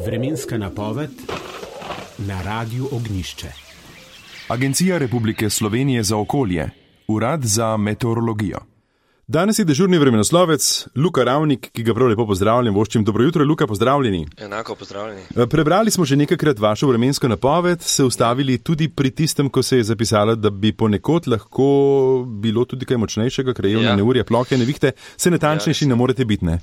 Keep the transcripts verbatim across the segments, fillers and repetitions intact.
Vremenska napoved na Radiu Ognjišče. Agencija Republike Slovenije za okolje, Urad za meteorologijo. Danes je dežurni vremenoslovec Luka Ravnik, ki ga prav lepo pozdravljam. Voščim, dobro jutro, Luka, pozdravljeni. Enako pozdravljeni. Prebrali smo že nekajkrat vašo vremensko napoved, se ustavili tudi pri tistem, ko se je zapisalo, da bi ponekod lahko bilo tudi kaj močnejšega, krajevne ja. neurje, plohe, nevihte, se natančnejši ja, ne morete biti, ne?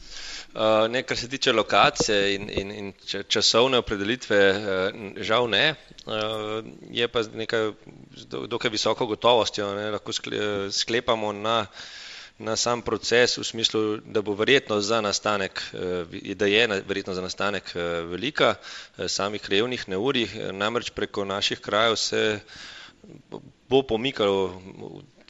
Uh, ne, kar se tiče lokacije in, in, in časovne opredelitve, uh, žal ne. Uh, je pa nekaj dokaj visoko gotovostjo, ne, lahko sklepamo na, na sam proces v smislu, da bo verjetnost za nastanek, da je verjetnost za nastanek velika samih krajevnih neurij, namreč preko naših krajev se bo pomikalo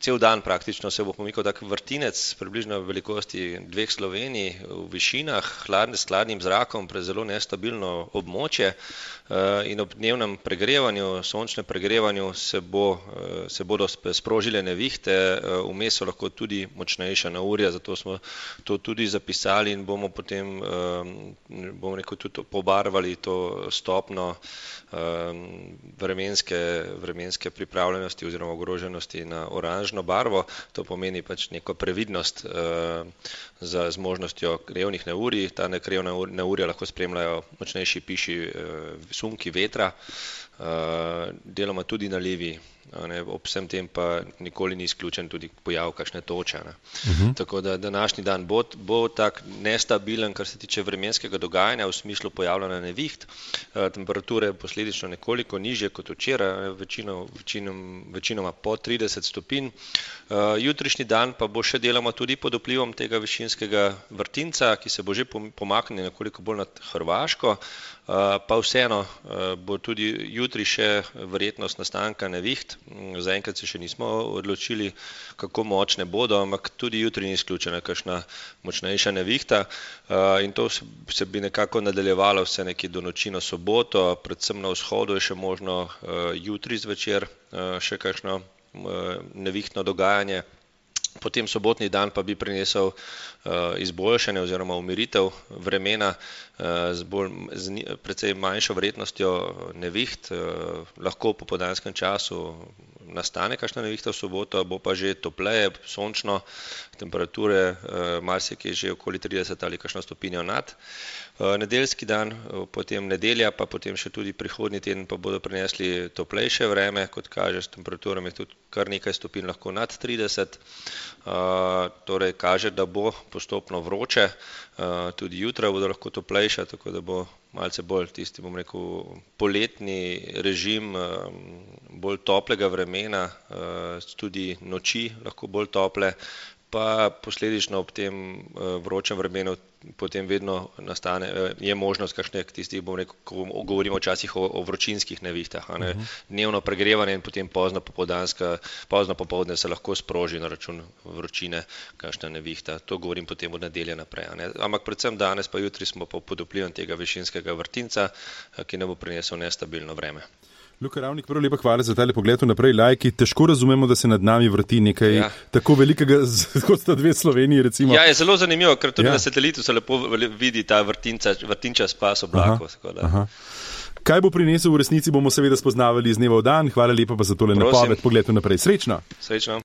cel dan praktično se bo pomikal tak vrtinec približno v velikosti dveh Slovenij v višinah, hladne, s hladnim zrakom, pre zelo nestabilno območje in ob dnevnem pregrevanju, sončnem pregrevanju se, bo, se bodo sprožile nevihte, vmes so lahko tudi močnejša neurja, zato smo to tudi zapisali in bomo potem, bomo rekel, tudi pobarvali to stopno vremenske, vremenske pripravljenosti oziroma ogroženosti na oranžno barvo. To pomeni pač neko previdnost uh, za z možnostjo krajevnih neurij. Ta krajevna neurja lahko spremljajo močnejši piši uh, sunki vetra, uh, deloma tudi nalivi. Ne, ob vsem tem pa nikoli ni izključen tudi pojav kakšne toče. Ne. Uh-huh. Tako da današnji dan bo, bo tak nestabilen, kar se tiče vremenskega dogajanja v smislu pojavljanja neviht. E, temperature posledično nekoliko nižje kot včeraj, večino, večinom, večinoma po trideset stopinj. E, jutrišnji dan pa bo še deloma tudi pod vplivom tega višinskega vrtinca, ki se bo že pomaknil nekoliko bolj nad Hrvaško. Uh, pa vseeno uh, bo tudi jutri še verjetnost nastanka neviht. Zaenkrat se še nismo odločili, kako močne bodo, ampak tudi jutri ni izključena kakšna močnejša nevihta. Uh, in to se, se bi nekako nadaljevalo vse nekje do noči na soboto, predvsem na vzhodu je še možno uh, jutri zvečer uh, še kakšno uh, nevihtno dogajanje. Potem sobotni dan pa bi prinesel uh, izboljšanje oziroma umiritev vremena uh, z, bolj, z precej manjšo vrednostjo neviht. Uh, lahko po popoldanskem času nastane kakšna nevihta v soboto, bo pa že topleje, sončno, temperature uh, marsikje že okoli trideset ali kakšno stopinjo nad. Uh, nedeljski dan, uh, potem nedelja, pa potem še tudi prihodnji teden pa bodo prinesli toplejše vreme, kot kaže s temperaturami tudi kar nekaj stopinj lahko nad trideset. Uh, torej kaže, da bo postopno vroče, uh, tudi jutra bodo lahko toplejša, tako da bo malce bolj tisti, bom rekel, poletni režim, uh, bolj toplega vremena, uh, tudi noči lahko bolj tople, pa posledično ob tem uh, vročem vremenu potem vedno nastane, je možnost kakšnih tistih, bom rekel, ko govorimo včasih o, o vročinskih nevihtah, a ne, uh-huh. Dnevno pregrevanje in potem pozno popoldanska, pozno popoldne se lahko sproži na račun vročine kakšna nevihta. To govorim potem od nedelje naprej, a ne. Ampak predvsem danes pa jutri smo pa pod vplivom tega višinskega vrtinca, ki ne bo prinesel nestabilno vreme. Luka Ravnik, prvo lepa hvala za tale pogled naprej. Lajki, težko razumemo, da se nad nami vrti nekaj ja. tako velikega, kot sta dve Sloveniji, recimo. Ja, je zelo zanimivo, ker tudi ja. na satelitu se lepo vidi ta vrtinca, vrtinča spas oblakov. Kaj bo prinesel v resnici, bomo seveda spoznavali iz dneva v dan. Hvala lepa pa za tole napoved. Pogled naprej. Srečno. Srečno.